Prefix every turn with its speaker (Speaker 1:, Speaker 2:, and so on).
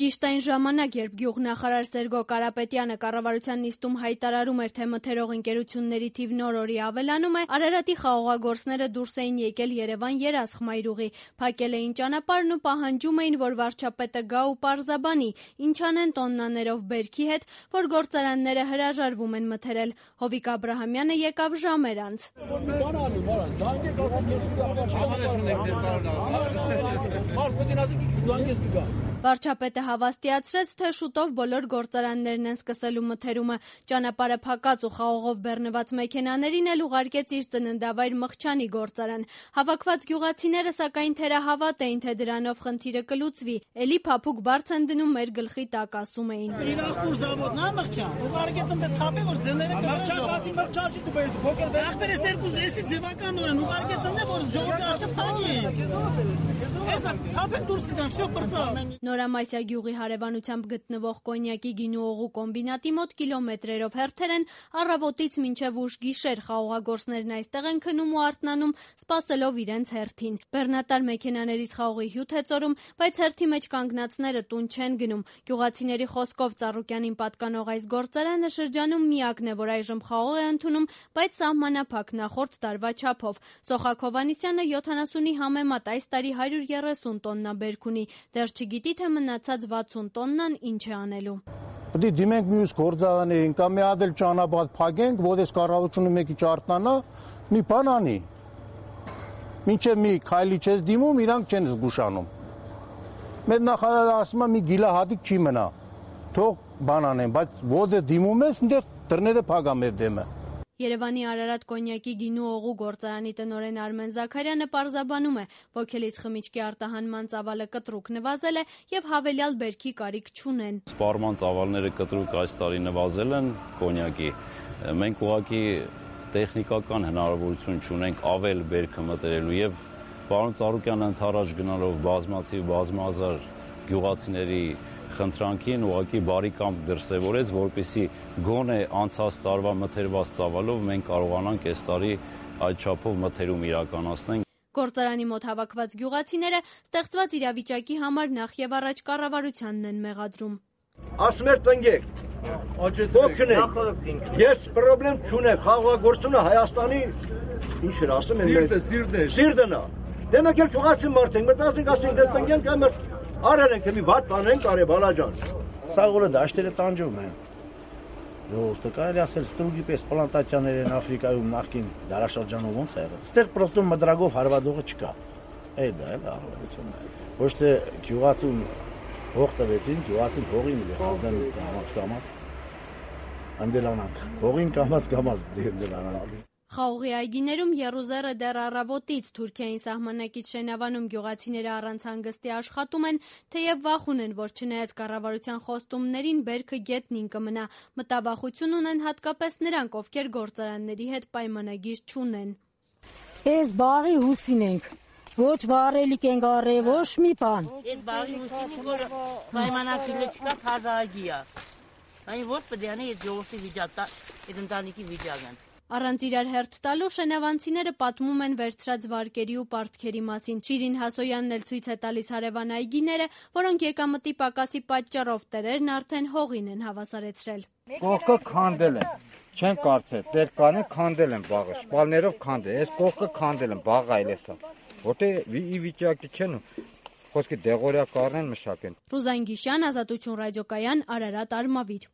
Speaker 1: Ճիշտ այն ժամանակ, երբ գյուղնախարար Սերգո Կարապետյանը կառավարության նիստում հայտարարում էր, թե մթերող ընկերությունների թիվն օր-օրի ավելանում է, Արարատի խաղողագործները դուրս էին եկել Երևան երաշխմայրուղի, փակել էին ճանապարհն ու պահանջում էին, որ վարչապետը գա ու պարզաբանի, ինչ անեն տոննաներով բերքի հետ, որ գործարանները հրաժարվում են մթերել։ Հովիկ Աբրահամյանը եկավ ժամեր անց։ Վարչապետը հավաստիացրեց, թե շուտով բոլոր գործարաններն են սկսելու մթերումը։ Ճանապարհը փակած ու խաղողով բեռնված մեքենաներին էլ ուղարկեց իր ծննդավայր Մղչանի գործարան։ Հավաքված գյուղացիները սակայն թերահավատ էին, թե դրանով խնդիրը կլուծվի։ Էլի փափուկ բարձ են դնում մեր գլխի տակ, ասում էին։ Նորամասյա գյուղի հարևանությամբ գտնվող կոնյակի գինու օղու կոմբինատի մոտ կիլոմետրերով հերթեր են, առավոտից մինչև ուշ գիշեր խաղողագործներն այստեղ են քնում ու արթնանում, սպասելով իրենց հերթին։ Բեռնատար մեքենաներից խաղողի հյութ է ծորում, բայց հերթի մեջ կանգնածները տուն չեն գնում։ Գյուղացիների խոսքով Ծառուկյանին պատկանող այս գործարանը շրջանում միակն է, որ այժմ խաղող է ընդունում, բայց սահմանափակ նախորդ տարվա չափով։ Սոխակ Հովհաննիսյանը 70-ի համեմատ այս տարի 130 տոննա բերք ունի, դեռ չգիտի, թե մնացած 60 տոննան ինչ է անելու։
Speaker 2: Պետք է դիմենք մյուս գործարանում, կամ մի հատ էլ ճանապարհ փակենք, որ այս կառավարությունը մեկի չարտնանա, մի բան անի։ Մինչև մի քայլի չես դիմում, իրանք չեն զգուշանում։ Մեր նախարարը ասում է մի գիլահատիկ չի մնա, թող բան անեն, բայց ո՞րտեղ դիմում ես, այնտեղ դռները փակա մեր դեմը։
Speaker 1: Երևանի Արարատ կոնյակի գինու օղու գործարանի տնօրեն Արմեն Զաքարյանը պարզաբանում է, ոգելից խմիչքի արտահանման ծավալը կտրուկ նվազել է եւ հավելյալ բերքի կարիք չունեն։
Speaker 3: Սպառման ծավալները կտրուկ այս տարի նվազել են կոնյակի։ Մենք ուղղակի տեխնիկական հնարավորություն չունենք ավել բերքը մտերելու եւ պարոն Ծառուկյանը ընդառաջ գնալով բազմահազար գյուղացիների խնդրանքին ուղղակի բարի կամք դրսևորեց, որպեսզի գոնե անցած տարվա մթերված ծավալով մենք կարողանանք այս տարի այդ չափով մթերում իրականացնենք։
Speaker 1: Գործարանի մոտ հավաքված գյուղացիները ստեղծված իրավիճակի համար նախ եւ առաջ կառավարությանն են մեղադրում։
Speaker 4: Ասում էր տնգեք, օգնեք, ես պրոբլեմ չունեմ, խաղողագործությունը Հայաստանի ինչ էր ասում են, սիրտն է։ Դե մենք էլ գյուղացի մարդ ենք, մտածենք ասենք դե տնգենք, այ արարենք, մի վատ բանենք, արե բալաջան։
Speaker 5: Սա որը դաշտերը տանջում են։ Ո՞ւստը կարելի ասել ստրուգի պես պլանտացիաներ են Աֆրիկայում նախկին դարաշրջանում ոնց է եղել։ Ստեղ պրոստում մդրագով հարվածողը չկա։ Այդ դա էլ առավելությունն է։ Ոչ թե գյուղացուն հող տվեցին, գյուղացին հողին դարձնել կամաց։ Անդելանանք։ Հողին կամաց դելանանք։
Speaker 1: Խաղողի այգիներում եռուզեռը դեռ առավոտից Թուրքիային սահմանակից Շենավանում գյուղացիները առանց հանգստի աշխատում են, թեև վախ ունեն, որ չնայած կառավարության խոստումներին բերքը գետնին կմնա։ Մտավախություն ունեն հատկապես նրանք, ովքեր գործարանների հետ պայմանագիր չունեն։
Speaker 6: Այս բաղի հուսին ենք, ոչ վարելիք ենք առել, ոչ մի բան։
Speaker 7: Այդ բաղի հուսին, որ պայմանագիրը չկա, թազագի է։ Այն ոչ պետք է անի այդ ժողովրդի վիճակը, այդ ընտանիքի վիճակն։
Speaker 1: Առանց իրար հերթ տալու շենավանցիները պատմում են վերցրած վարկերի ու պարտքերի մասին։ Շիրին Հասոյանն էլ ցույց է տալիս հարևան այգիները, որոնք եկամտի պակասի պատճառով տերերն արդեն հողին են հավասարեցրել։
Speaker 8: Կողքը քանդել են, չեն կարծել, տեր կանեն քանդել են բաղը, շպալներով քանդել, այս կողքը քանդել են, բաղը այլ էսա, որտեղ ի վիճակի չեն, խոսքի դեղորյա կառնեն մշակեն։
Speaker 1: Ռուզան Գիշյան, Ազատություն ռադիոկայան, Արարատ, Արմավիր։